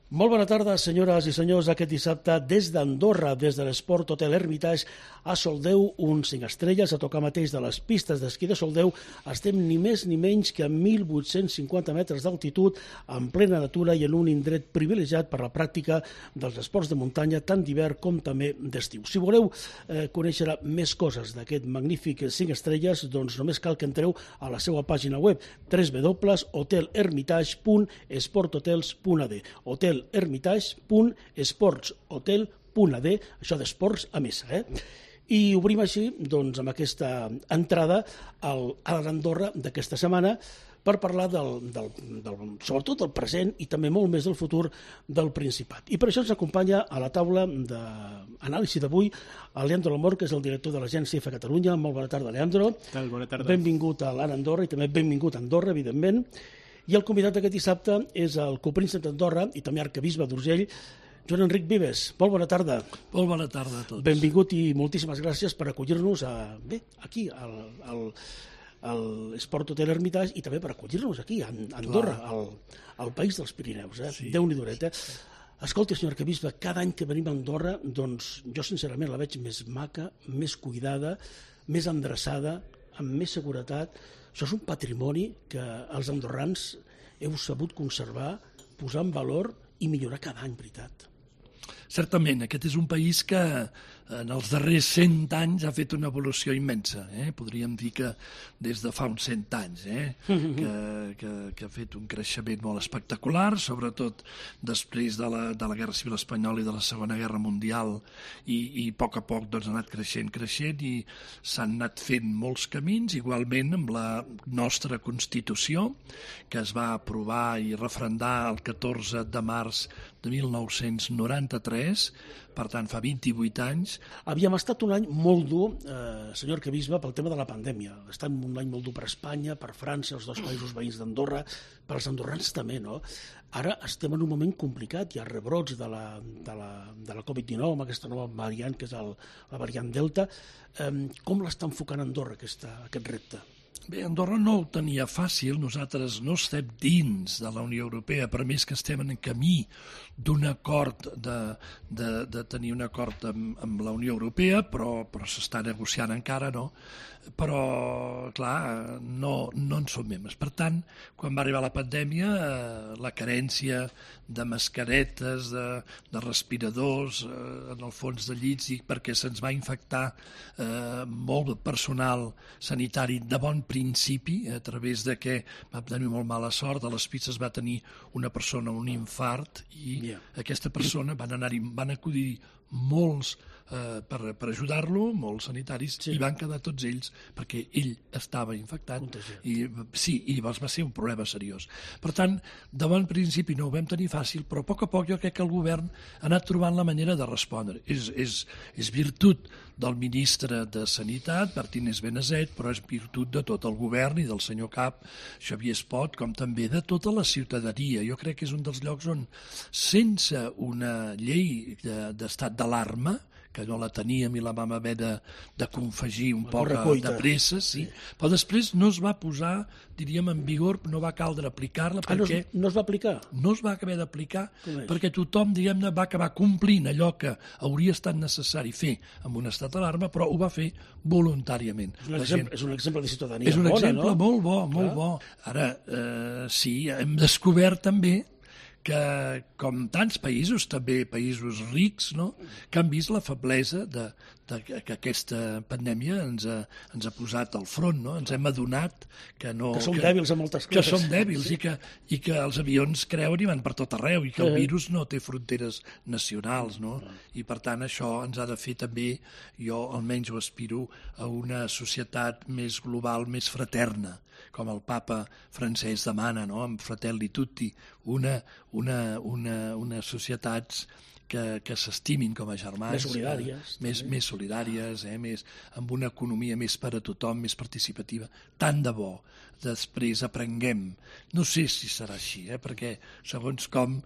Molt bona tarda, senyores i senyors. Aquest dissabte, des d'Andorra, des de l'Esport Hotel Hermitage, a Soldeu, un 5 estrelles, a tocar mateix de les pistes d'esquí de Soldeu. Estem ni més ni menys que a 1.850 metres d'altitud, en plena natura i en un indret privilegiat per la pràctica dels esports de muntanya, tant d'hivern com també d'estiu. Si voleu conèixer més coses d'aquest magnífic 5 estrelles, doncs només cal que entreu a la seva pàgina web www.hotelhermitage.esporthotels.ad hotelhermitage.esportshotel.ad, això d'esports a missa, I obrim així, doncs, amb aquesta entrada a l'Andorra d'aquesta setmana per parlar sobretot del present i també molt més del futur del Principat. I per això ens acompanya a la taula d'anàlisi d'avui el Leandro Lamor, que és el director de l'agència IFE Catalunya. Molt bona tarda, Leandro. Bona tarda. Benvingut a l'Ara Andorra i també benvingut a Andorra, evidentment. I el convidat d'aquest dissabte és el copríncep d'Andorra i també arquebisbe d'Urgell, Joan Enric Vives. Molt bona tarda. Molt bona tarda a tots. Benvingut i moltíssimes gràcies per acollir-nos aquí, a l'Esport Hotel Hermitage, i també per acollir-nos aquí, a Andorra, al país dels Pirineus. Sí. Déu-n'hi-do. Escolti, senyor arquebisbe, cada any que venim a Andorra, doncs jo sincerament la veig més maca, més cuidada, més endreçada, amb més seguretat. Això és un patrimoni que els andorrans heu sabut conservar, posar en valor i millorar cada any, veritat. Certament, aquest és un país que en els darrers 100 anys ha fet una evolució immensa. Podríem dir que des de fa uns 100 anys que ha fet un creixement molt espectacular, sobretot després de la Guerra Civil Espanyola i de la Segona Guerra Mundial, i a poc ha anat creixent i s'han anat fent molts camins, igualment amb la nostra Constitució, que es va aprovar i referendar el 14 de març de 1993, per tant, fa 28 anys. Havíem estat un any molt dur, senyor arquebisbe, pel tema de la pandèmia. Ha estat un any molt dur per Espanya, per França, els dos països veïns d'Andorra, per als andorrans també, no? Ara estem en un moment complicat, hi ha rebrots de la Covid-19, amb aquesta nova variant, que és la variant Delta. Com l'està enfocant Andorra, aquest repte? Bé, Andorra no ho tenia fàcil, nosaltres no estem dins de la Unió Europea, per més que estem en camí d'un acord, de tenir un acord amb la Unió Europea, però s'està negociant encara, no? Però, clar, no en som membres. Per tant, quan va arribar la pandèmia, la carència de mascaretes, de respiradors, en el fons de llits, perquè se'ns va infectar molt personal sanitari de bon principi, a través de que vam tenir molt mala sort, a les pistes va tenir una persona un infart i aquesta persona van acudir molts per ajudar-lo, molts sanitaris, i van quedar tots ells perquè ell estava infectat i llavors va ser un problema seriós. Per tant, de bon principi no ho vam tenir fàcil, però a poc jo crec que el govern ha anat trobant la manera de respondre. És virtut del ministre de Sanitat, Martínez Benazet, però és virtut de tot el govern i del senyor cap, Xavier Espot, com també de tota la ciutadania. Jo crec que és un dels llocs on, sense una llei d'estat d'alarma, que no la teníem i la vam haver de confegir un poc de pressa, però després no es va posar, diríem, en vigor, no va caldre aplicar-la perquè... No es va aplicar? No es va acabar d'aplicar perquè tothom, diguem-ne, va acabar complint allò que hauria estat necessari fer amb un estat d'alarma, però ho va fer voluntàriament. És un exemple de ciutadania bona, no? És un exemple molt bo, molt bo. Ara, sí, hem descobert també que, com tants països, també països rics, no?, que han vist la feblesa que aquesta pandèmia ens ha posat al front, no? Ens hem adonat que som dèbils en moltes coses. Que som dèbils i que els avions creuen i van per tot arreu i que el virus no té fronteres nacionals, no? I per tant això ens ha de fer també, jo almenys ho aspiro, a una societat més global, més fraterna, com el papa francès demana, no?, amb Fratelli Tutti, unes societats que s'estimin com a germans, més solidàries, amb una economia més per a tothom, més participativa. Tant de bo després aprenguem. No sé si serà així, perquè segons com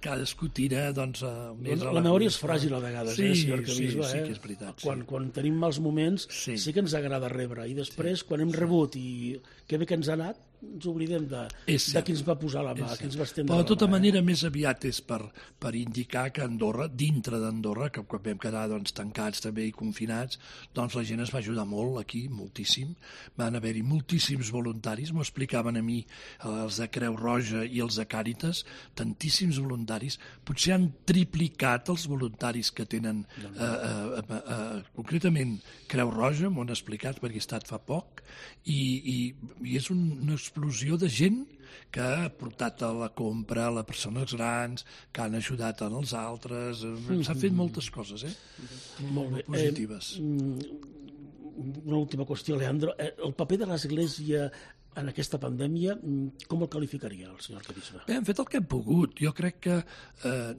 cadascú tira, doncs... La memòria és fràgil a vegades, senyor arquebisbe. Sí que és veritat. Quan tenim mals moments sí que ens agrada rebre, i després, quan hem rebut i que bé que ens ha anat, ens oblidem de qui ens va posar la mà, qui ens va estendre la mà. Però de tota manera més aviat és per indicar que Andorra, dintre d'Andorra, que quan vam quedar tancats també i confinats, doncs la gent es va ajudar molt aquí, moltíssim. Van haver-hi moltíssims voluntaris, m'ho explicaven a mi els de Creu Roja i els de Càritas, tantíssims voluntaris. Potser han triplicat els voluntaris que tenen concretament Creu Roja, m'ho han explicat perquè he estat fa poc, i és una explosió de gent que ha portat a la compra a les persones grans, que han ajudat als altres. S'ha fet moltes coses, molt positives. Una última qüestió, Leandro. El paper de l'Església en aquesta pandèmia, com el qualificaria el senyor arquebisbe? Bé, hem fet el que hem pogut. Jo crec que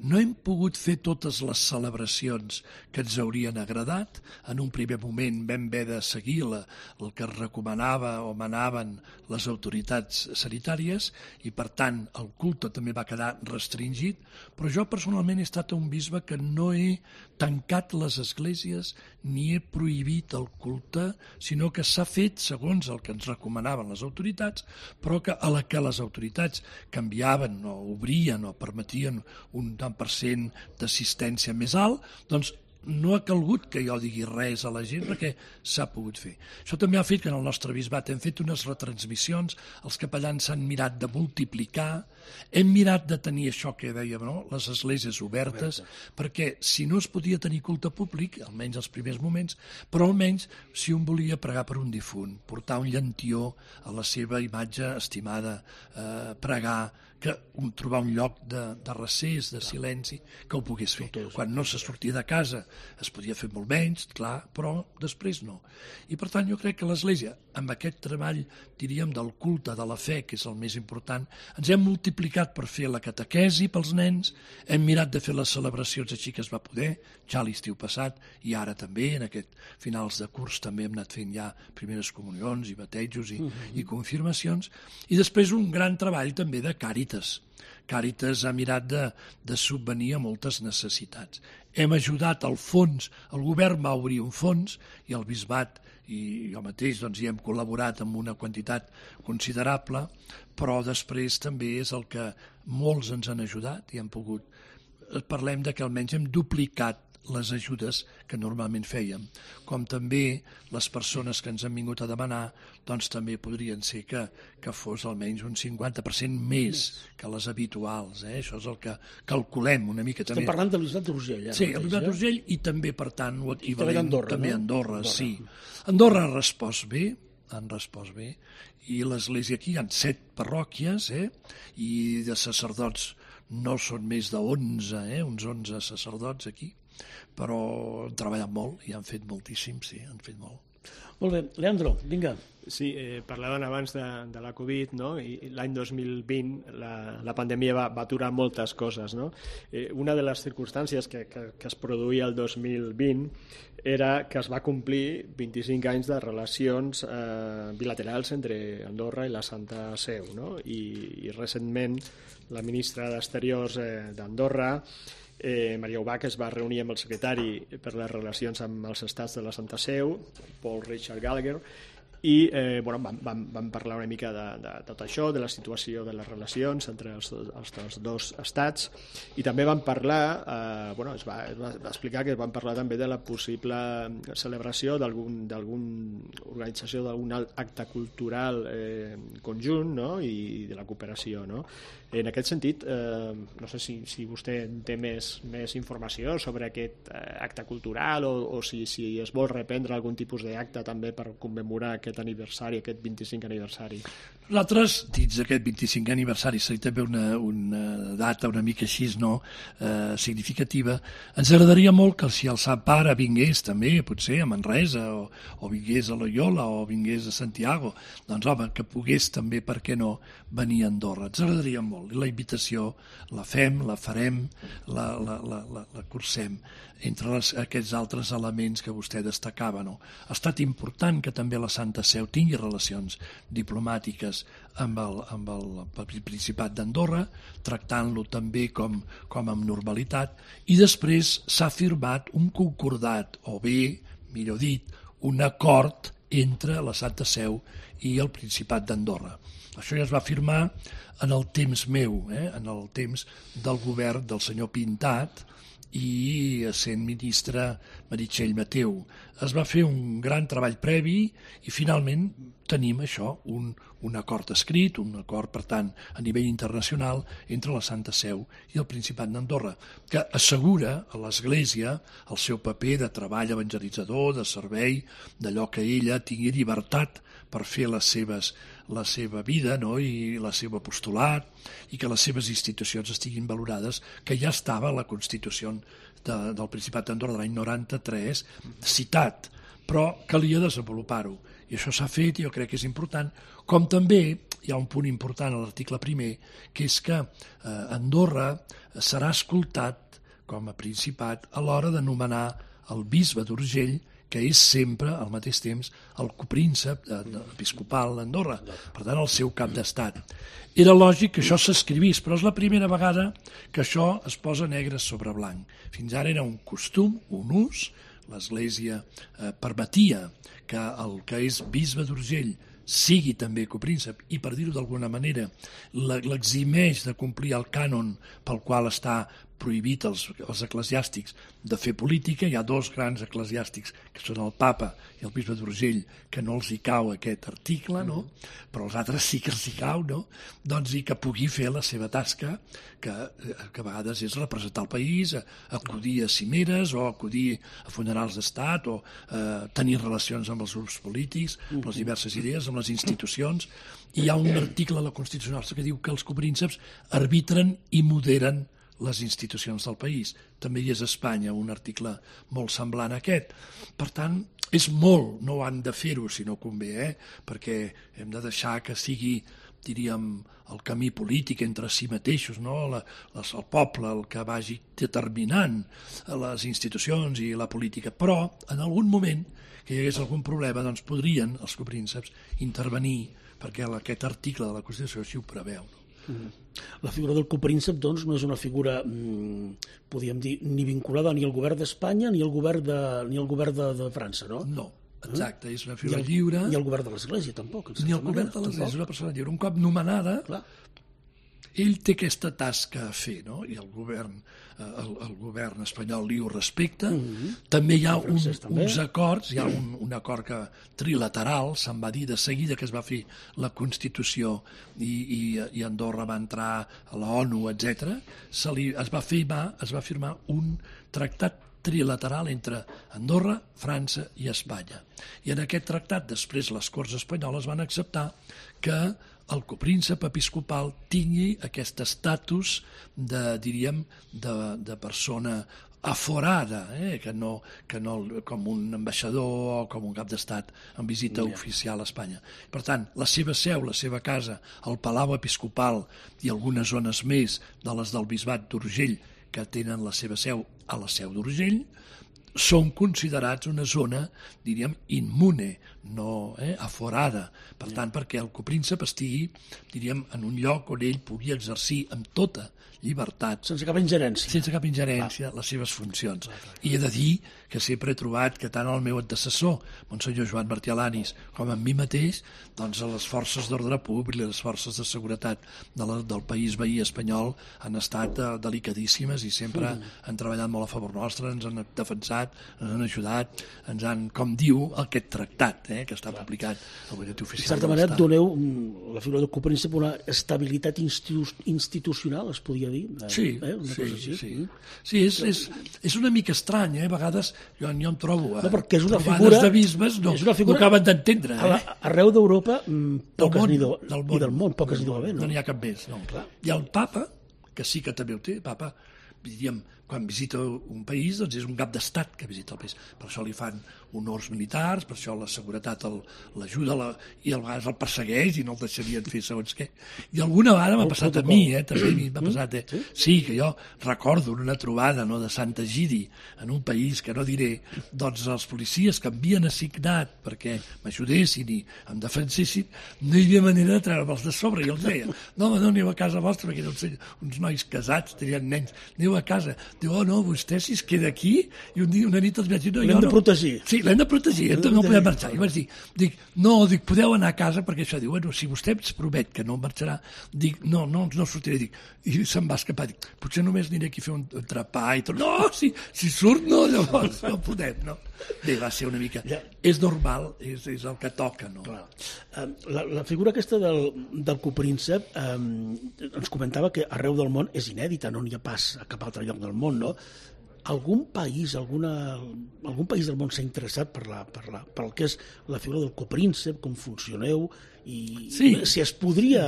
no hem pogut fer totes les celebracions que ens haurien agradat. En un primer moment vam haver de seguir el que recomanava o manaven les autoritats sanitàries i, per tant, el culte també va quedar restringit, però jo personalment he estat un bisbe que no he tancat les esglésies ni he prohibit el culte, sinó que s'ha fet segons el que ens recomanaven les autoritats, però que a la que les autoritats canviaven o obrien o permetien un tant per cent d'assistència més alt, doncs no ha calgut que jo digui res a la gent perquè s'ha pogut fer. Això també ha fet que en el nostre bisbat hem fet unes retransmissions, els capellans s'han mirat de multiplicar, hem mirat de tenir això que dèiem, no? Les esglésies obertes, perquè si no es podia tenir culte públic, almenys els primers moments, però almenys si un volia pregar per un difunt, portar un llantió a la seva imatge estimada, pregar, trobar un lloc de recés, de silenci, que ho pogués fer. Quan no se sortia de casa es podia fer molt menys, clar, però després no. I per tant jo crec que l'Església, amb aquest treball, diríem, del culte, de la fe, que és el més important, ens hem multiplicat per fer la catequesi pels nens, hem mirat de fer les celebracions així que es va poder, ja l'estiu passat, i ara també, en aquest finals de curs, també hem anat fent ja primeres comunions i batejos i confirmacions, i després un gran treball també de Càritas. Càritas ha mirat de subvenir a moltes necessitats. Hem ajudat al fons, el govern va obrir un fons i el bisbat i jo mateix hi hem col·laborat amb una quantitat considerable, però després també és el que molts ens han ajudat i hem pogut. Parlem de que almenys hem duplicat les ajudes que normalment fèiem, com també les persones que ens han vingut a demanar, doncs també podrien ser que fos almenys un 50% més que les habituals. Això és el que calculem una mica. Estem parlant de l'Isbat d'Urgell. Sí, el l'Isbat d'Urgell i també, per tant, ho equivalent també a Andorra. Sí. Andorra ha respost bé, i l'Església aquí hi ha 7 parròquies, i de sacerdots no són més de 11, uns 11 sacerdots aquí, però han treballat molt i han fet moltíssim, sí, han fet molt. Molt bé, Leandro, vinga. Sí, parlaven abans de la Covid, no? I l'any 2020 la pandèmia va aturar moltes coses, no? Una de les circumstàncies que es produïa el 2020 era que es va complir 25 anys de relacions bilaterals entre Andorra i la Santa Seu, no? I recentment la ministra d'Exteriors d'Andorra, Maria Ubach, es va reunir amb el secretari per les relacions amb els estats de la Santa Seu, Paul Richard Gallagher, i vam parlar una mica de tot això, de la situació de les relacions entre els dos estats, i també vam parlar, es va explicar que vam parlar també de la possible celebració d'alguna organització d'algun acte cultural conjunt, no? I de la cooperació, no? En aquest sentit, no sé si vostè té més informació sobre aquest acte cultural o si es vol reprendre algun tipus d'acte també per commemorar aquest aniversari, aquest 25 aniversari. Nosaltres, dins d'aquest 25 aniversari, seria també una data una mica així, no? Significativa. Ens agradaria molt que si el Sant Pare vingués també, potser a Manresa, o vingués a Loyola, o vingués a Santiago, doncs home, que pogués també, per què no, venir a Andorra. Ens agradaria molt. I la invitació la fem, la farem, la cursem. Entre aquests altres elements que vostè destacava, no? Ha estat important que també la Santa Seu tingui relacions diplomàtiques amb el Principat d'Andorra, tractant-lo també com amb normalitat, i després s'ha firmat un concordat, o bé, millor dit, un acord entre la Santa Seu i el Principat d'Andorra. Això ja es va firmar en el temps meu, en el temps del govern del senyor Pintat i sent ministre Meritxell Mateu. Es va fer un gran treball previ i finalment tenim això, un acord escrit, un acord, per tant, a nivell internacional entre la Santa Seu i el Principat d'Andorra, que assegura a l'Església el seu paper de treball evangelitzador, de servei, d'allò que ella tingui llibertat per fer la seva vida, no? I la seva apostolat, i que les seves institucions estiguin valorades, que ja estava a la Constitució del Principat d'Andorra de l'any 93 citat, però calia desenvolupar-ho. I això s'ha fet i jo crec que és important, com també hi ha un punt important a l'article primer, que és que Andorra serà escoltat com a Principat a l'hora de nomenar el bisbe d'Urgell, que és sempre, al mateix temps, el copríncep episcopal d'Andorra, per tant, el seu cap d'estat. Era lògic que això s'escrivís, però és la primera vegada que això es posa negre sobre blanc. Fins ara era un costum, un ús, l'Església permetia que el que és bisbe d'Urgell sigui també copríncep i, per dir-ho d'alguna manera, l'eximeix de complir el cànon pel qual està prohibit als eclesiàstics de fer política. Hi ha dos grans eclesiàstics, que són el papa i el bisbe d'Urgell, que no els hi cau aquest article, no? Però els altres sí que els hi cau, no? Doncs i que pugui fer la seva tasca, que a vegades és representar el país, acudir a cimeres o acudir a funerals d'estat o tenir relacions amb els grups polítics, amb les diverses idees, amb les institucions. I hi ha un article a la Constitució que diu que els coprínceps arbitren i moderen les institucions del país. També hi és a Espanya un article molt semblant a aquest. Per tant, és molt, no han de fer-ho si no convé, perquè hem de deixar que sigui, diríem, el camí polític entre si mateixos, no? El poble, el que vagi determinant les institucions i la política. Però, en algun moment que hi hagués algun problema, doncs podrien els coprínceps intervenir, perquè aquest article de la Constitució així ho preveu, no? La figura del copríncep, doncs, no és una figura, podríem dir, ni vinculada ni al govern d'Espanya ni al govern de França, no? No, exacte, és una figura lliure. Ni al govern de l'Església, tampoc. Ni al govern de l'Església, és una persona lliure. Un cop nomenada, clar, ell té aquesta tasca a fer, no? I el govern espanyol li ho respecta. També hi ha uns acords, hi ha un acord trilateral, se'n va dir de seguida que es va fer la Constitució i Andorra va entrar a la ONU, etc. Es va firmar un tractat trilateral entre Andorra, França i Espanya. I en aquest tractat, després les Corts Espanyoles van acceptar que el copríncep episcopal tingui aquest estatus de persona aforada, que no com un ambaixador o com un cap d'estat en visita oficial a Espanya. Per tant, la seva seu, la seva casa, el Palau Episcopal i algunes zones més de les del Bisbat d'Urgell que tenen la seva seu a la Seu d'Urgell, són considerats una zona, diríem, immune, no aforada. Per tant, perquè el copríncep estigui, diríem, en un lloc on ell pugui exercir amb tota llibertat. Sense cap ingerència. Sense cap ingerència, les seves funcions. I he de dir que sempre he trobat que tant el meu antecessor, Monsenyor Joan Martí Alanis, com en mi mateix, doncs les forces d'ordre públic, les forces de seguretat del país veí espanyol han estat delicadíssimes i sempre han treballat molt a favor nostre, ens han defensat, ens han ajudat, ens han, com diu, aquest tractat que està publicat al butlletí oficial. De certa manera, doneu la figura del copríncep una estabilitat institucional, es podria dir? Sí, és una mica estrany, a vegades jo em trobo no, perquè és una trobades figura, de bisbes no acaben d'entendre. Arreu d'Europa i del món poques n'hi deu haver. No n'hi ha cap més. No. Hi ha el papa, que sí que també ho té, papa, diríem, quan visita un país, doncs és un cap d'estat que visita el país. Per això li fan honors militars, per això la seguretat l'ajuda i a vegades el persegueix i no el deixarien fer segons què. I alguna vegada m'ha passat a mi, també m'ha passat. Sí, que jo recordo una trobada de Sant Egidi en un país que no diré, doncs els policies que havien assignat perquè m'ajudessin i em defensessin, no hi havia manera de treure'ls de sobre. I els deia, no aneu a casa vostra perquè eren uns nois casats, tenien nens, aneu quedeu a casa. Diu, oh no, vostè si es queda aquí, i una nit els vaig dir, no, l'hem de protegir. Sí, l'hem de protegir, no podem marxar. I vaig dir, dic, podeu anar a casa, perquè això diu, bueno, si vostè ens promet que no marxarà, dic, no sortiré, i se'n va escapar, dic, potser només aniré aquí a fer un trepar i tot. No, si surt, no, llavors no podem, no. Bé, va ser una mica... És normal, és el que toca, no? Clar. La figura aquesta del copríncep ens comentava que arreu del món és inèdita, no n'hi ha pas a cap altre lloc del món, no? Algun país del món s'ha interessat per el que és la figura del copríncep, com funcioneu, i si es podria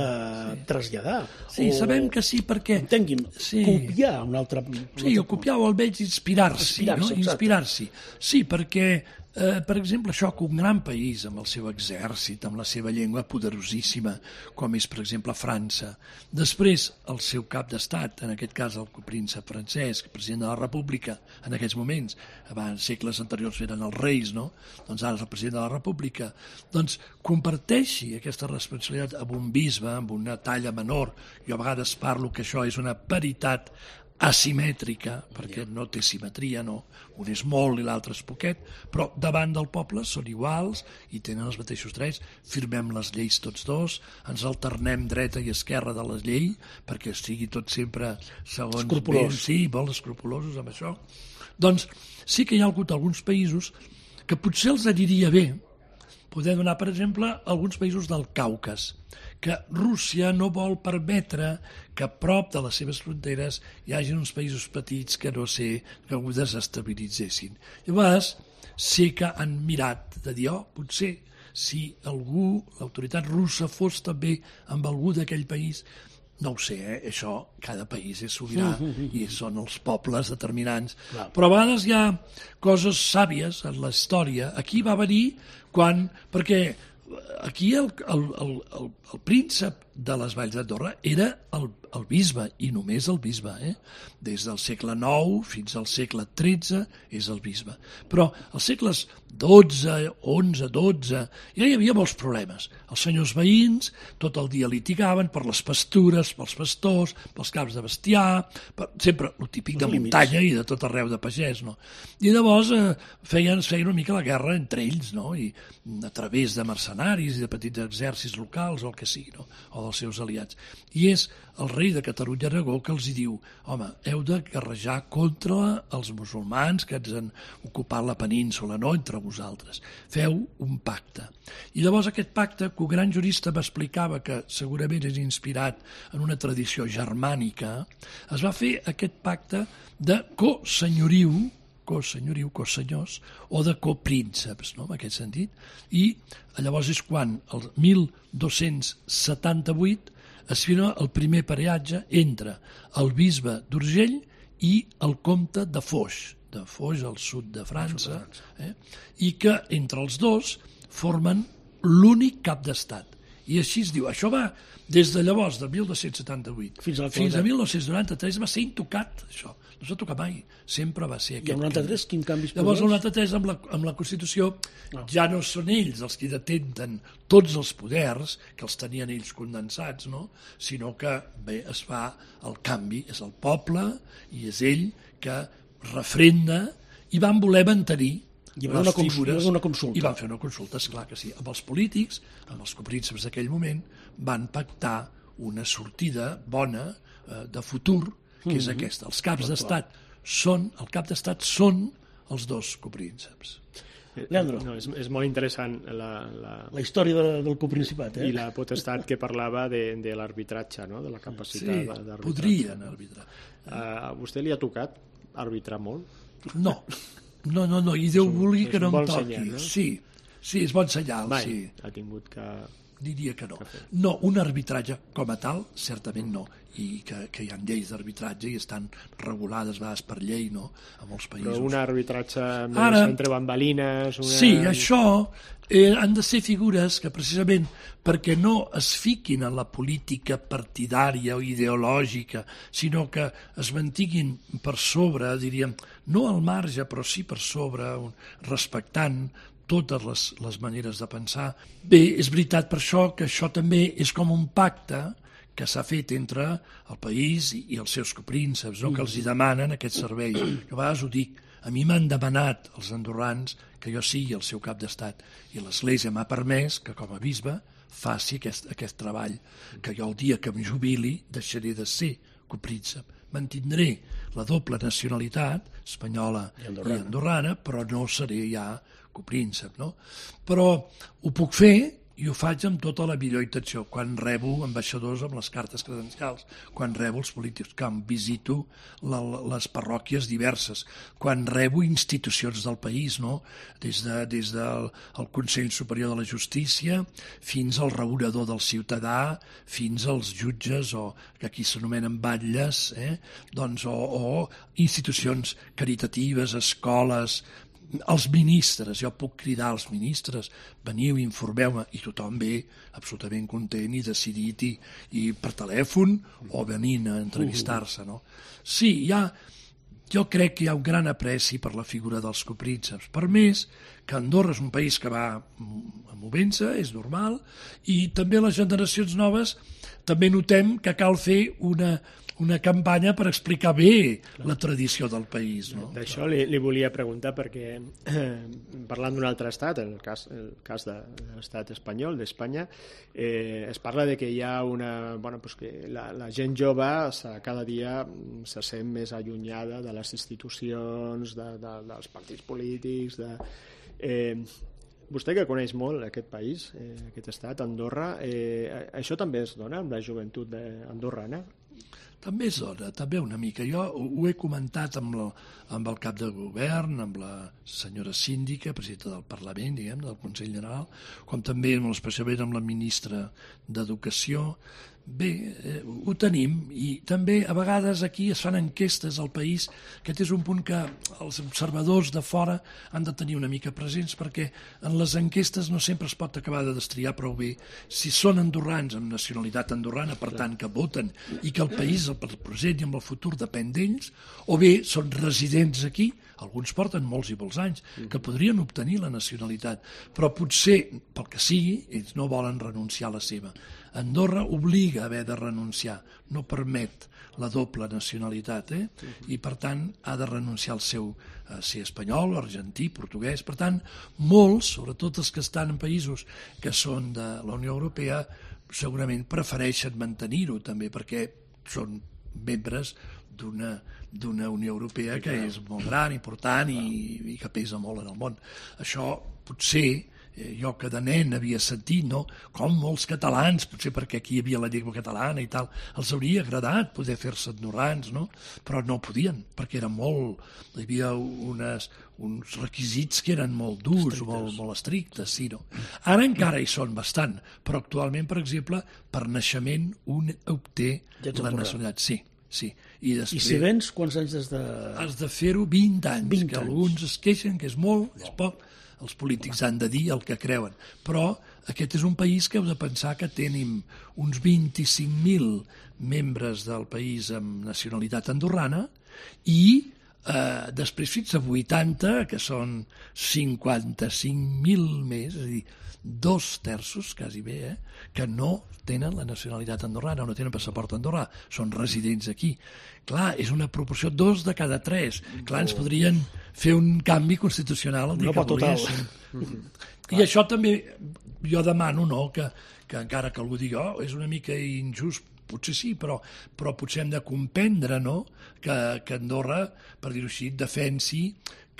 traslladar. Sí, sabem que sí, perquè... Entengui'm, copiar un altre... Sí, o copiar o almenys inspirar-s'hi, no? Inspirar-s'hi. Sí, perquè, per exemple, això que un gran país amb el seu exèrcit, amb la seva llengua poderosíssima, com és, per exemple, França, després el seu cap d'estat, en aquest cas el copríncep francès, president de la República, en aquests moments, abans segles anteriors eren els reis, no? Doncs ara és el president de la República, doncs comparteixi aquesta responsabilitat amb un bisbe, amb una talla menor. Jo a vegades parlo que això és una paritat asimètrica, perquè no té simetria, no? Un és molt i l'altre és poquet, però davant del poble són iguals i tenen els mateixos drets, firmem les lleis tots dos, ens alternem dreta i esquerra de la llei, perquè sigui tot sempre segons... Escrupolós. Sí, molt escrupulosos amb això. Doncs sí que hi ha hagut alguns països que potser els aniria bé. Podem donar, per exemple, alguns països del Caucas, que Rússia no vol permetre que a prop de les seves fronteres hi hagi uns països petits que no sé, que ho desestabilitzessin. Llavors, sí que han mirat de dir, potser si algú, l'autoritat russa, fos també amb algú d'aquell país, no ho sé, això, cada país és sobirà i són els pobles determinants. Clar. Però a vegades hi ha coses sàvies en la història. Aquí va venir quan... Perquè aquí el príncep de les Valls d'Andorra era el bisbe, i només el bisbe. Des del segle IX fins al segle XIII és el bisbe. Però als segles XII, XI, XII, ja hi havia molts problemes. Els senyors veïns tot el dia litigaven per les pastures, pels pastors, pels camps de bestiar, sempre el típic de muntanya i de tot arreu de pagès, no? I llavors feien una mica la guerra entre ells, no? I a través de mercenaris i de petits exèrcits locals o el que sigui, no? O dels seus aliats. I és el rei de Catalunya Aragó que els diu, home, heu de guerrejar contra els musulmans que ens han ocupat la península, no entre vosaltres. Feu un pacte. I llavors aquest pacte, que un gran jurista m'explicava que segurament és inspirat en una tradició germànica, es va fer aquest pacte de cosenyoriu, cosenyors, o de coprínceps, no?, en aquest sentit. I llavors és quan, el 1278, es firma el primer pareatge entre el bisbe d'Urgell i el comte de Foix al sud de França, i que entre els dos formen l'únic cap d'estat. I així es diu. Això va des de llavors, de 1278 fins a 1993, va ser intocat, això. No s'ha tocat mai, sempre va ser aquest. I el 93, quin canvi es produeix? Llavors, el 93, amb la Constitució, ja no són ells els que detenten tots els poders, que els tenien ells condensats, no? Sinó que, bé, es fa el canvi, és el poble, i és ell que refrenda, i van voler mantenir les figures. I van fer una consulta, esclar que sí. Amb els polítics, amb els coprínceps d'aquell moment, van pactar una sortida bona de futur, que és aquesta. Els caps d'estat són els dos coprínceps. Leandro. No, és molt interessant la història del coprincipat. I la potestat que parlava de l'arbitratge, no? De la capacitat d'arbitrar. Sí, podrien arbitrar. A vostè li ha tocat arbitrar molt? No, i Déu vulgui que no em toqui. Senyal, no? Sí, és bon senyal. Mai sí. ha tingut que... Diria que no. No, un arbitratge com a tal, certament no. I que hi ha lleis d'arbitratge i estan regulades a vegades per llei, no?, a molts països. Però un arbitratge més entre bambalines... Sí, això han de ser figures que precisament perquè no es fiquin en la política partidària o ideològica, sinó que es mantiguin per sobre, diríem, no al marge, però sí per sobre, respectant totes les maneres de pensar. Bé, és veritat per això que això també és com un pacte que s'ha fet entre el país i els seus coprínceps, no? Que els hi demanen aquest servei. Jo a vegades ho dic, a mi m'han demanat els andorrans que jo sigui el seu cap d'estat i l'Església m'ha permès que com a bisbe faci aquest treball, que jo el dia que em jubili deixaré de ser copríncep. Mantindré la doble nacionalitat, espanyola i andorrana, però no seré ja copríncep, no? Però ho puc fer i ho faig amb tota la millor intenció, quan rebo ambaixadors amb les cartes credencials, quan rebo els polítics, quan visito les parròquies diverses, quan rebo institucions del país, no? Des del Consell Superior de la Justícia fins al regulador del ciutadà, fins als jutges, o que aquí s'anomenen batlles, doncs, o institucions caritatives, escoles, els ministres, jo puc cridar als ministres, veniu, informeu-me, i tothom ve absolutament content i decidit, i per telèfon o venint a entrevistar-se, no? Sí, jo crec que hi ha un gran apreci per la figura dels coprínceps, per més que Andorra és un país que va movent-se, és normal, i també les generacions noves també notem que cal fer una campanya per explicar bé la tradició del país. No? D'això li volia preguntar perquè, parlant d'un altre estat, el cas de l'estat espanyol, d'Espanya, es parla de que hi ha que la gent jove cada dia se sent més allunyada de les institucions, dels partits polítics, vostè que coneix molt aquest país, aquest estat, Andorra, això també es dona amb la joventut andorrana? També és dona, també una mica. Jo ho he comentat amb el cap de govern, amb la senyora síndica, presidenta del Parlament, diguem, del Consell General, com també especialment amb la ministra d'Educació. Bé, ho tenim, i també a vegades aquí es fan enquestes al país. Aquest és un punt que els observadors de fora han de tenir una mica presents, perquè en les enquestes no sempre es pot acabar de destriar prou bé si són andorrans amb nacionalitat andorrana, per tant que voten i que el país, el present i amb el futur depèn d'ells, o bé són residents aquí, alguns porten molts i molts anys, que podrien obtenir la nacionalitat, però potser, pel que sigui, ells no volen renunciar a la seva. Andorra obliga a haver de renunciar, no permet la doble nacionalitat, i per tant ha de renunciar al seu ser espanyol, argentí, portuguès. Per tant, molts, sobretot els que estan en països que són de la Unió Europea, segurament prefereixen mantenir-ho també, perquè són membres d'una Unió Europea que és molt gran, important i que pesa molt en el món. Això potser, jo que de nen havia sentit, no? Com molts catalans, potser perquè aquí hi havia la llengua catalana i tal, els hauria agradat poder fer-se andorrans, no? Però no podien, perquè era hi havia uns requisits que eren molt durs, molt estrictes, sí, no? Ara encara hi són bastant, però actualment, per exemple, per naixement un obté la nacionalitat, sí. I si vens, quants anys has de... Has de fer-ho 20 anys, que alguns es queixen que és molt, és poc. Els polítics han de dir el que creuen. Però aquest és un país que heu de pensar que tenim uns 25.000 membres del país amb nacionalitat andorrana i després fins a 80, que són 55.000 més, és a dir, 2/3, quasi bé, que no tenen la nacionalitat andorrana, no tenen passaport andorrà, són residents aquí. Clar, és una proporció 2 de cada 3. Clar, ens podrien fer un canvi constitucional el dia que volguessin. I això també jo demano, no?, que encara que algú digui, és una mica injust, potser sí, però potser hem de comprendre, no?, que Andorra, per dir-ho així, defensi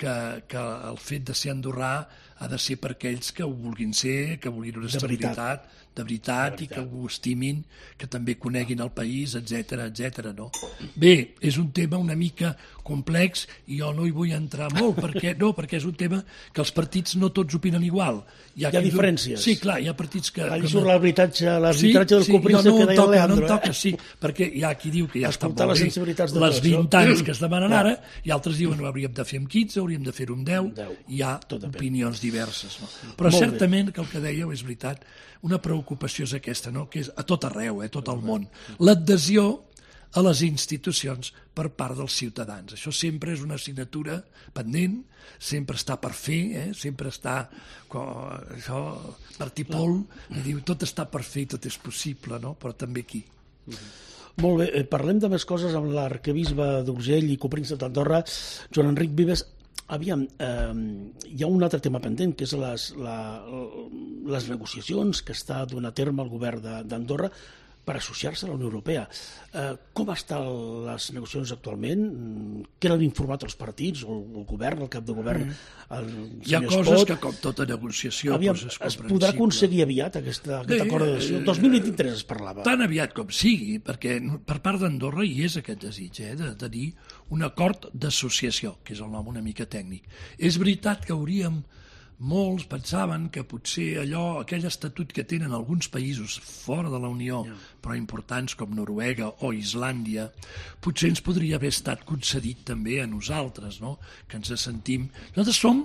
que el fet de ser andorrà ha de ser per aquells que ho vulguin ser, que vulguin una estabilitat de veritat i que ho estimin, que també coneguin el país, etc. No? Bé, és un tema una mica complex i jo no hi vull entrar molt, perquè és un tema que els partits no tots opinen igual. Hi ha diferències. Sí, clar, hi ha partits que... Allà surt l'arbitratge del copríncep que deia Leandro. No em toca, sí, perquè hi ha qui diu que ja està molt bé les 20 anys que es demanen ara, i altres diuen que hauríem de fer amb 15, hauríem de fer-ho amb 10, hi ha opinions diverses. No? Però certament que el que dèieu és veritat, una preocupació és aquesta, no? Que és a tot arreu, a tot el món. L'adhesió a les institucions per part dels ciutadans. Això sempre és una assignatura pendent, sempre està per fer, sempre està... Això, Martí Pol diu, tot està per fer i tot és possible, no? Però també aquí. Molt bé, parlem de més coses amb l'arquebisbe d'Urgell i copríncep d'Andorra, Joan Enric Vives. Aviam, hi ha un altre tema pendent, que és les negociacions que està donant a terme el govern d'Andorra per associar-se a la Unió Europea. Com estan les negociacions actualment? Què n'han informat els partits, o el govern, el cap de govern? Hi ha coses que, com tota negociació, es podrà aconseguir aviat aquest acord d'adhesió? El 2023 es parlava. Tan aviat com sigui, perquè per part d'Andorra hi és aquest desig de tenir un acord d'associació, que és el nom una mica tècnic. És veritat que molts pensaven que potser aquell estatut que tenen alguns països fora de la Unió, però importants com Noruega o Islàndia, potser ens podria haver estat concedit també a nosaltres, no? Que ens sentim... Nosaltres som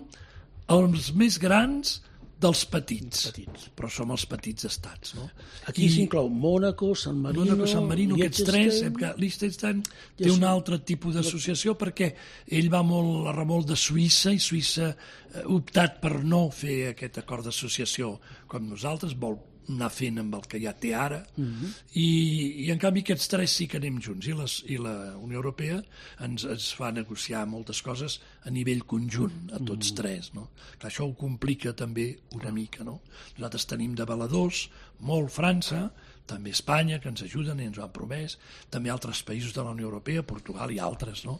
els més grans dels petits, però som els petits estats, no? Aquí s'inclou Mònaco, San Marino, aquests tres. Liechtenstein té un altre tipus d'associació perquè ell va molt a remolc de Suïssa, i Suïssa ha optat per no fer aquest acord d'associació com nosaltres, vol anar fent amb el que ja té ara, i en canvi aquests tres sí que anem junts, i la Unió Europea ens fa negociar moltes coses a nivell conjunt, a tots tres, no? Que això ho complica també una mica, no? Nosaltres tenim d'avaladors, molt França, també Espanya, que ens ajuden i ens ho han promès, també altres països de la Unió Europea, Portugal i altres, no?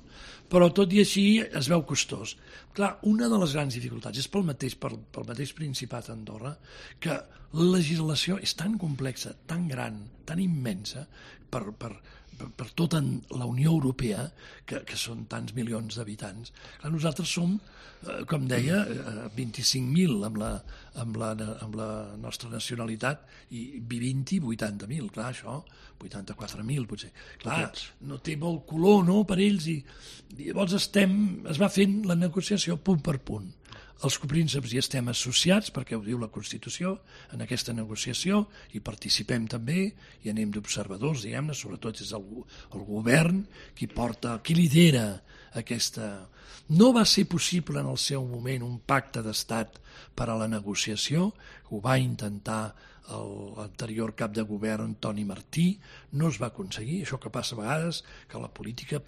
Però tot i així es veu costós. Clar, una de les grans dificultats és pel mateix Principat d'Andorra, que la legislació és tan complexa, tan gran, tan immensa, per tota la Unió Europea, que són tants milions d'habitants. Nosaltres som, com deia, 25.000 amb la nostra nacionalitat, i 80.000, clar, això, 84.000 potser. Clar, no té molt color, no?, per ells, i llavors es va fent la negociació punt per punt. Els coprínceps hi estem associats, perquè ho diu la Constitució, en aquesta negociació, i participem també, i anem d'observadors, diguem-ne, sobretot és el govern qui lidera aquesta... No va ser possible en el seu moment un pacte d'estat per a la negociació, ho va intentar l'anterior cap de govern, Toni Martí, no es va aconseguir, això que passa a vegades, que la política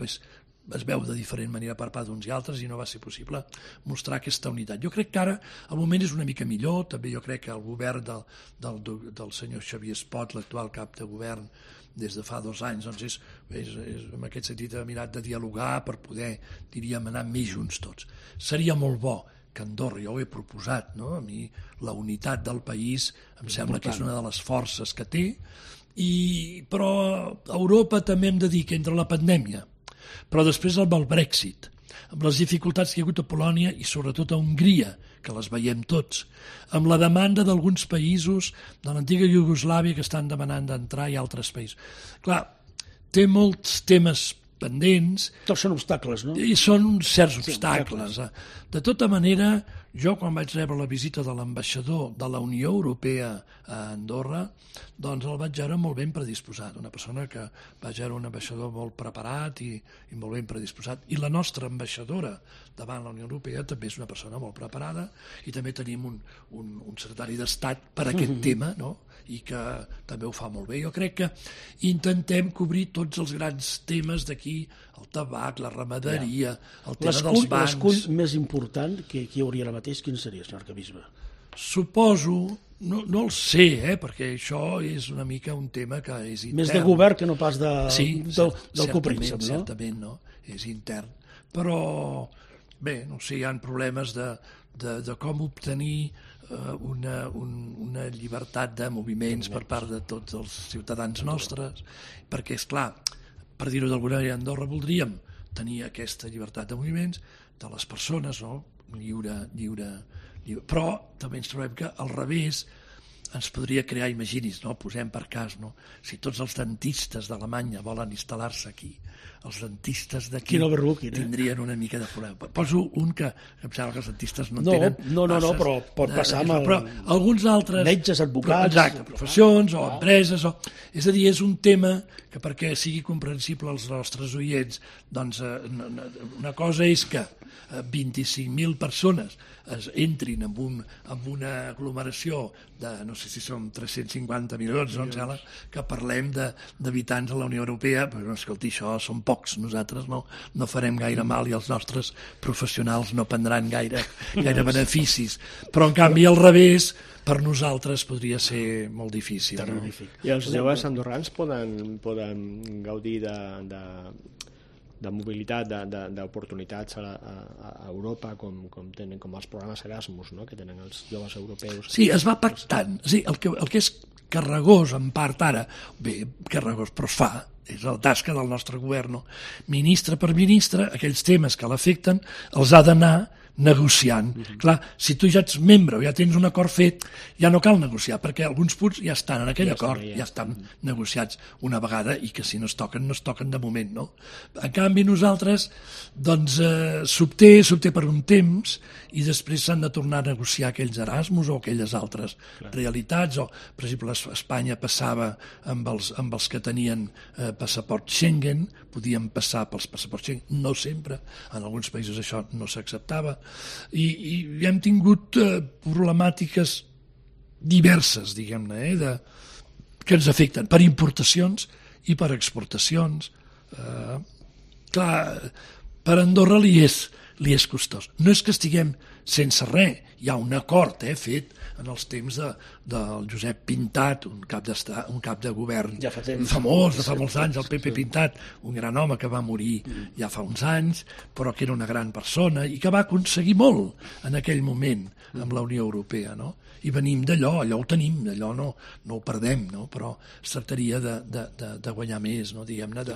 es veu de diferent manera per part d'uns i altres, i no va ser possible mostrar aquesta unitat. Jo crec que ara el moment és una mica millor, també jo crec que el govern del senyor Xavier Espot, l'actual cap de govern, des de fa 2 anys, doncs és en aquest sentit ha mirat de dialogar per poder, diríem, anar més junts tots. Seria molt bo que Andorra, jo ho he proposat, no? A mi la unitat del país em sembla que és una de les forces que té, però a Europa també hem de dir que entre la pandèmia, però després amb el Brexit, amb les dificultats que hi ha hagut a Polònia i sobretot a Hongria, que les veiem tots, amb la demanda d'alguns països de l'antiga Iugoslàvia que estan demanant d'entrar, i altres països. Clar, té molts temes pendents. Tots són obstacles, no? I són certs obstacles. De tota manera, jo quan vaig rebre la visita de l'ambaixador de la Unió Europea a Andorra, doncs el vaig veure molt ben predisposat, una persona que vaig veure un ambaixador molt preparat i molt ben predisposat, i la nostra ambaixadora davant la Unió Europea també és una persona molt preparada, i també tenim un secretari d'Estat per a aquest tema, no?, i que també ho fa molt bé. Jo crec que intentem cobrir tots els grans temes d'aquí, el tabac, la ramaderia, el tema dels bancs... L'escull més important que hi hauria ara mateix, quin seria, senyor arquebisbe? Suposo, no el sé, perquè això és una mica un tema que és intern. Més de govern que no pas del copríncep, no? Certament, no? És intern. Però, bé, no sé, hi ha problemes de com obtenir una llibertat de moviments per part de tots els ciutadans nostres, perquè, esclar, per dir-ho d'alguna manera, a Andorra voldríem tenir aquesta llibertat de moviments de les persones, no?, lliure, però també ens trobem que al revés ens podria crear, imagini's, no?, posem per cas, no?, si tots els dentistes d'Alemanya volen instal·lar-se aquí, els dentistes d'aquí tindrien una mica de problema. Poso un que em sembla que els dentistes no tenen... No, però pot passar amb però alguns altres... metges, advocats... Exacte, professions o empreses... És a dir, és un tema que perquè sigui comprensible als nostres oients, doncs una cosa és que 25.000 persones entrin en una aglomeració de, no sé si som 350 milions, no em sembla, que parlem d'habitants a la Unió Europea, però escolti, això són pocs, nosaltres no farem gaire mal i els nostres professionals no prendran gaire beneficis, però en canvi al revés, per nosaltres podria ser molt difícil. No? I els joves andorrans poden gaudir de mobilitat, d'oportunitats a Europa, com els programes Erasmus, no? Que tenen els joves europeus. Sí, es va pactant. Sí, el que és carregós, en part ara, bé, carregós, però es fa, és la tasca del nostre govern, no? Ministre per ministre, aquells temes que l'afecten els ha d'anar negociant. Clar, si tu ja ets membre o ja tens un acord fet, ja no cal negociar, perquè alguns punts ja estan en aquell acord, ja estan negociats una vegada i que si no es toquen de moment, no? En canvi nosaltres, doncs, s'obté per un temps i després s'han de tornar a negociar aquells Erasmus o aquelles altres realitats, o, per exemple, Espanya passava amb els que tenien passaport Schengen, podien passar pels passaports Schengen, no sempre, en alguns països això no s'acceptava, i hem tingut problemàtiques diverses, diguem-ne, que ens afecten per importacions i per exportacions. Clar, per Andorra li és costós. No és que estiguem sense res, hi ha un acord fet en els temps del Josep Pintat, un cap de govern famós de fa molts anys, el Pepe Pintat, un gran home que va morir ja fa uns anys, però que era una gran persona i que va aconseguir molt en aquell moment amb la Unió Europea, no? I venim d'allò ho tenim, allò no ho perdem, no? Però es tractaria de guanyar més, no? Diguem-ne,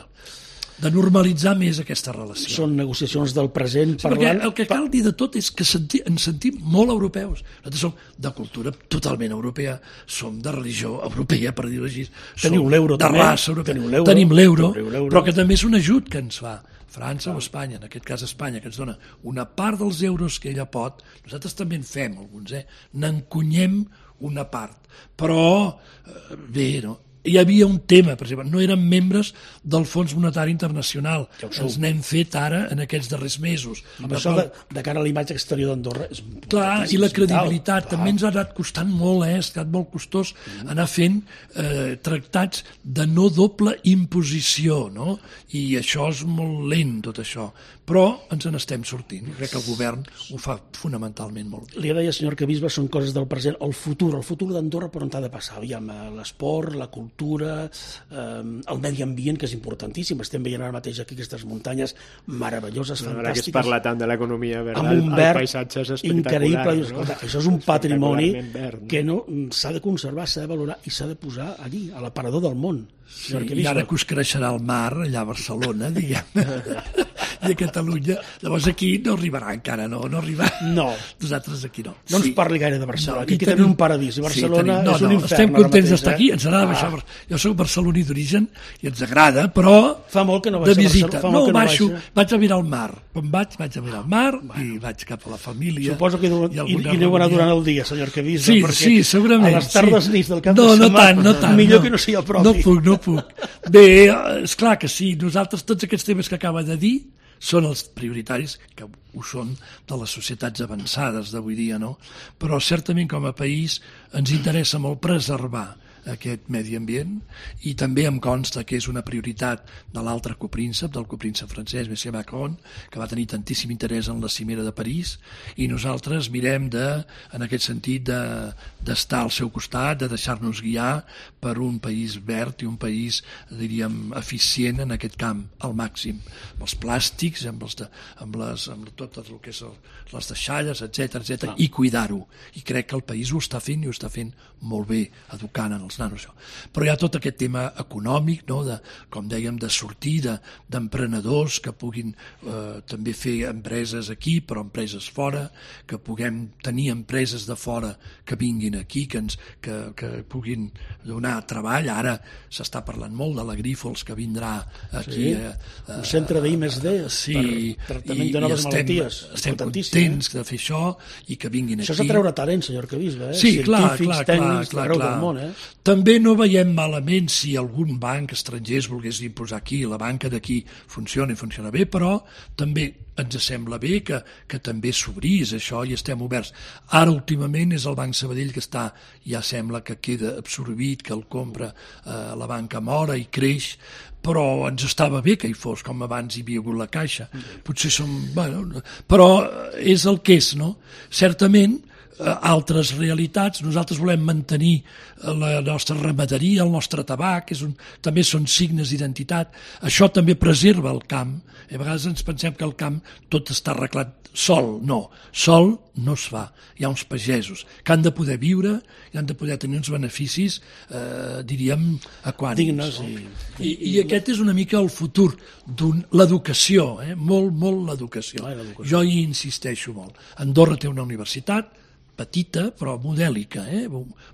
de normalitzar més aquesta relació. Són negociacions del present parlant... Perquè el que cal dir de tot és que ens sentim molt europeus. Nosaltres som de cultura totalment europea, som de religió europea, per dir-ho així. Teniu l'euro també. De raça europea. Tenim l'euro, però que també és un ajut que ens fa França o Espanya, en aquest cas Espanya, que ens dona una part dels euros que ella pot. Nosaltres també en fem alguns, n'encunyem una part. Però, bé, no? Hi havia un tema, per exemple, no érem membres del Fons Monetari Internacional. Ens n'hem fet ara en aquests darrers mesos. Però això de cara a la imatge exterior d'Andorra és clar, i la credibilitat també ens ha anat costant molt, ha estat molt costós anar fent tractats de no doble imposició, no? I això és molt lent, tot això. Però ens n'estem sortint. Crec que el govern ho fa fonamentalment molt bé. Li deia, senyor Arquebisbe, són coses del present. El futur d'Andorra per on ha de passar? Aviam, l'esport, la cultura, el medi ambient, que és importantíssim. Estem veient ara mateix aquí aquestes muntanyes meravelloses, fantàstiques. Ara que es parla tant de l'economia verda, amb un verd el paisatge és espectacular. Increïble. No? Això és un patrimoni que s'ha de conservar, s'ha de valorar i s'ha de posar allí, a l'aparador del món. Sí, i ara que us creixerà el mar allà a Barcelona, diguem, i a Catalunya, llavors aquí no arribarà encara, no arribarà. No. Nosaltres aquí no. No ens parli gaire de Barcelona, aquí tenim un paradís, i Barcelona és un infern. Estem contents d'estar aquí, ens agrada baixar. Jo soc barceloní d'origen i ens agrada, però fa molt que no de visita. No, baixo, vaig a mirar el mar. Quan vaig a mirar el mar i vaig cap a la família. Suposo que aneu anar durant el dia, senyor Arquebisbe, sí, segurament. A les tardes nits del cap de setmana, no tant, millor que no sigui el propi. No puc. Bé, és clar que sí, nosaltres tots aquests temes que acaba de dir són els prioritaris, que ho són de les societats avançades d'avui dia, no? Però certament com a país ens interessa molt preservar aquest medi ambient i també em consta que és una prioritat de l'altre copríncep, del copríncep francès, Monsieur Macron, que va tenir tantíssim interès en la cimera de París, i nosaltres mirem en aquest sentit d'estar al seu costat, de deixar-nos guiar per un país verd i un país, diríem, eficient en aquest camp al màxim, amb els plàstics, amb tot el que és les deixalles, etc i cuidar-ho. I crec que el país ho està fent i ho està fent molt bé, educant en els nanos. Però hi ha tot aquest tema econòmic, no? Com dèiem, de sortir d'emprenedors que puguin també fer empreses aquí, però empreses fora, que puguem tenir empreses de fora que vinguin aquí, que puguin donar treball. Ara s'està parlant molt de la Grífols, que vindrà aquí. Un centre d'I+D per tractament de noves malalties. Estem contents de fer això i que vinguin aquí. Això és atreure talent, senyor Arquebisbe. Sí, clar. Tècnics d'arreu del món. També no veiem malament si algun banc estranger es volgués imposar aquí, la banca d'aquí funciona i funciona bé, però també ens sembla bé que també s'obrís això i estem oberts. Ara últimament és el Banc Sabadell que està, ja sembla que queda absorbit, que el compra la banca Mora i creix, però ens estava bé que hi fos, com abans hi havia hagut la Caixa. Potser però és el que és, no? Certament, altres realitats, nosaltres volem mantenir la nostra ramaderia, el nostre tabac, també són signes d'identitat, això també preserva el camp. A vegades ens pensem que el camp tot està arreglat sol, no es fa, hi ha uns pagesos que han de poder viure i han de poder tenir uns beneficis diríem equànimes. I aquest és una mica el futur l'educació, molt l'educació. Jo hi insisteixo molt. Andorra té una universitat petita però modèlica,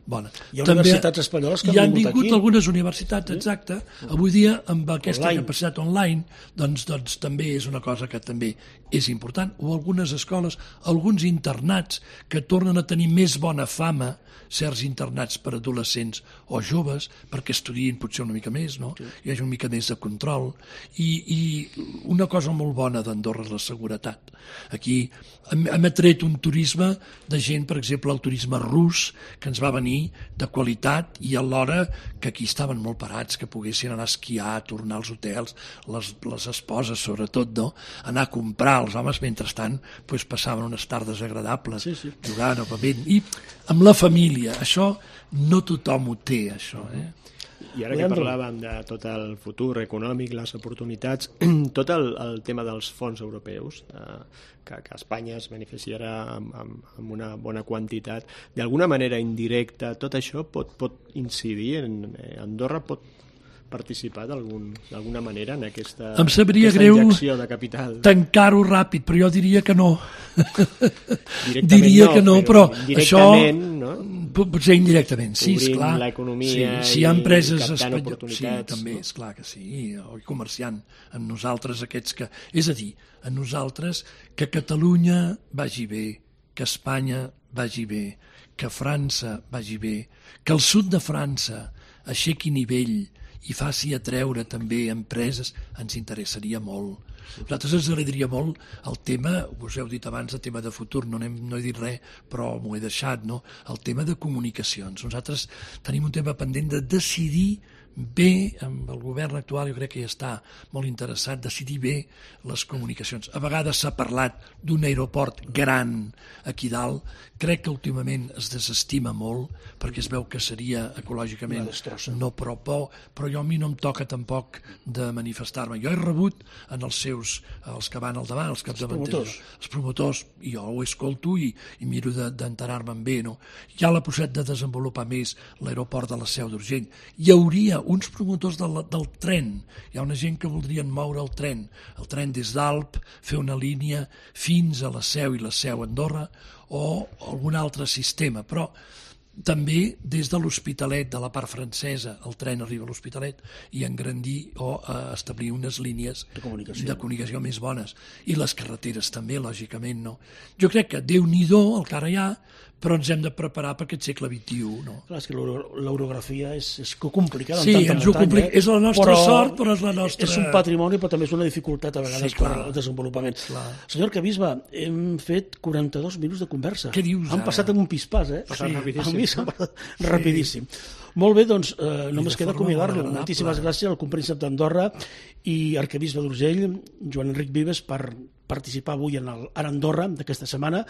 bona. Hi ha universitats espanyoles que han vingut aquí. Hi han vingut algunes universitats, exacte. Avui dia, amb aquesta capacitat online, doncs també és una cosa que també és important. O algunes escoles, alguns internats que tornen a tenir més bona fama, certs internats per adolescents o joves, perquè estudiïn potser una mica més, no? Hi hagi una mica més de control. I una cosa molt bona d'Andorra és la seguretat. Aquí hem atret un turisme de gent, per exemple, el turisme rus, que ens va venir de qualitat i alhora que aquí estaven molt parats, que poguessin anar a esquiar, tornar als hotels, les esposes sobretot, no? Anar a comprar, els homes mentrestant passaven unes tardes agradables, jugant o bevent, i amb la família, això no tothom ho té, això, I ara que parlàvem de tot el futur econòmic, les oportunitats, tot el tema dels fons europeus, que Espanya es beneficiarà amb una bona quantitat, d'alguna manera indirecta, tot això pot incidir en Andorra, pot participar d'alguna manera en aquesta injecció de capital? Tancar-ho ràpid, però jo diria que no. Diria que no, però això potser indirectament, sí, esclar. L'economia si hi ha empreses captant oportunitats. Sí, també, esclar que sí, o comerciant amb nosaltres aquests que... És a dir, a nosaltres que Catalunya vagi bé, que Espanya vagi bé, que França vagi bé, que el sud de França aixequi nivell i faci atreure també empreses, ens interessaria molt. A nosaltres ens agradaria molt el tema, us heu dit abans, el tema de futur, no he dit res, però m'ho he deixat, no? El tema de comunicacions. Nosaltres tenim un tema pendent de decidir bé, amb el govern actual jo crec que ja està molt interessat, decidir bé les comunicacions. A vegades s'ha parlat d'un aeroport gran aquí dalt, crec que últimament es desestima molt perquè es veu que seria ecològicament no però a mi no em toca tampoc de manifestar-me. Jo he rebut en els que van al davant, els capdavanters, els promotors, i jo ho escolto i miro d'enterar-me'n bé, no? Hi ha la possibilitat de desenvolupar més l'aeroport de la Seu d'Urgell. Hi hauria uns promotors del tren, hi ha una gent que voldrien moure el tren des d'Alp, fer una línia fins a la Seu i la Seu Andorra o algun altre sistema, però també des de l'Hospitalet, de la part francesa, el tren arriba a l'Hospitalet i engrandir o establir unes línies de comunicació més bones. I les carreteres també, lògicament, no? Jo crec que Déu-n'hi-do el que ara hi ha, però ens hem de preparar per aquest segle XXI, no? Clar, és que l'orografia és complicada. Sí, ens ho complica. És la nostra sort, però és la nostra... És un patrimoni, però també és una dificultat a vegades per al desenvolupament. Senyor Arquebisbe, hem fet 42 minuts de conversa. Què dius ara? Han passat en un pispàs, Passat rapidíssim. A mi s'ha passat rapidíssim. Molt bé, doncs només queda acomiadar-lo. Moltíssimes gràcies al compríncep d'Andorra i arquebisbe d'Urgell, Joan Enric Vives, per participar avui en Andorra d'aquesta setmana.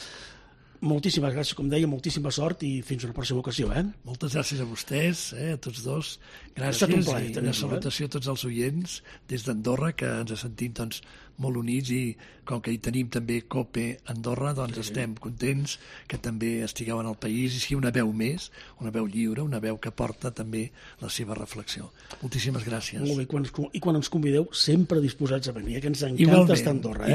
Moltíssimes gràcies, com deia, moltíssima sort i fins una pròxima ocasió. Moltes gràcies a vostès, a tots dos. Gràcies i una salutació a tots els oients des d'Andorra, que ens sentim molt units, i com que hi tenim també COPE Andorra, doncs estem contents que també estigueu en el país i sigui una veu més, una veu lliure, una veu que porta també la seva reflexió. Moltíssimes gràcies. Molt bé, i quan ens convideu sempre disposats a venir, que ens encanta estar a Andorra.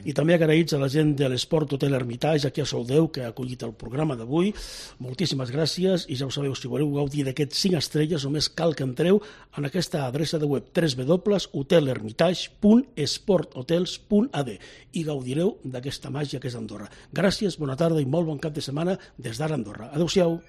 I també agraïts a la gent de l'Esport Hotel Hermitage, aquí a Soldeu, que ha acollit el programa d'avui. Moltíssimes gràcies, i ja ho sabeu, si voleu gaudir d'aquests 5 estrelles, només cal que entreu en aquesta adreça de web www.hotelhermitage.esporthotels.ad i gaudireu d'aquesta màgia que és Andorra. Gràcies, bona tarda i molt bon cap de setmana des d'ara Andorra. Adéu-siau.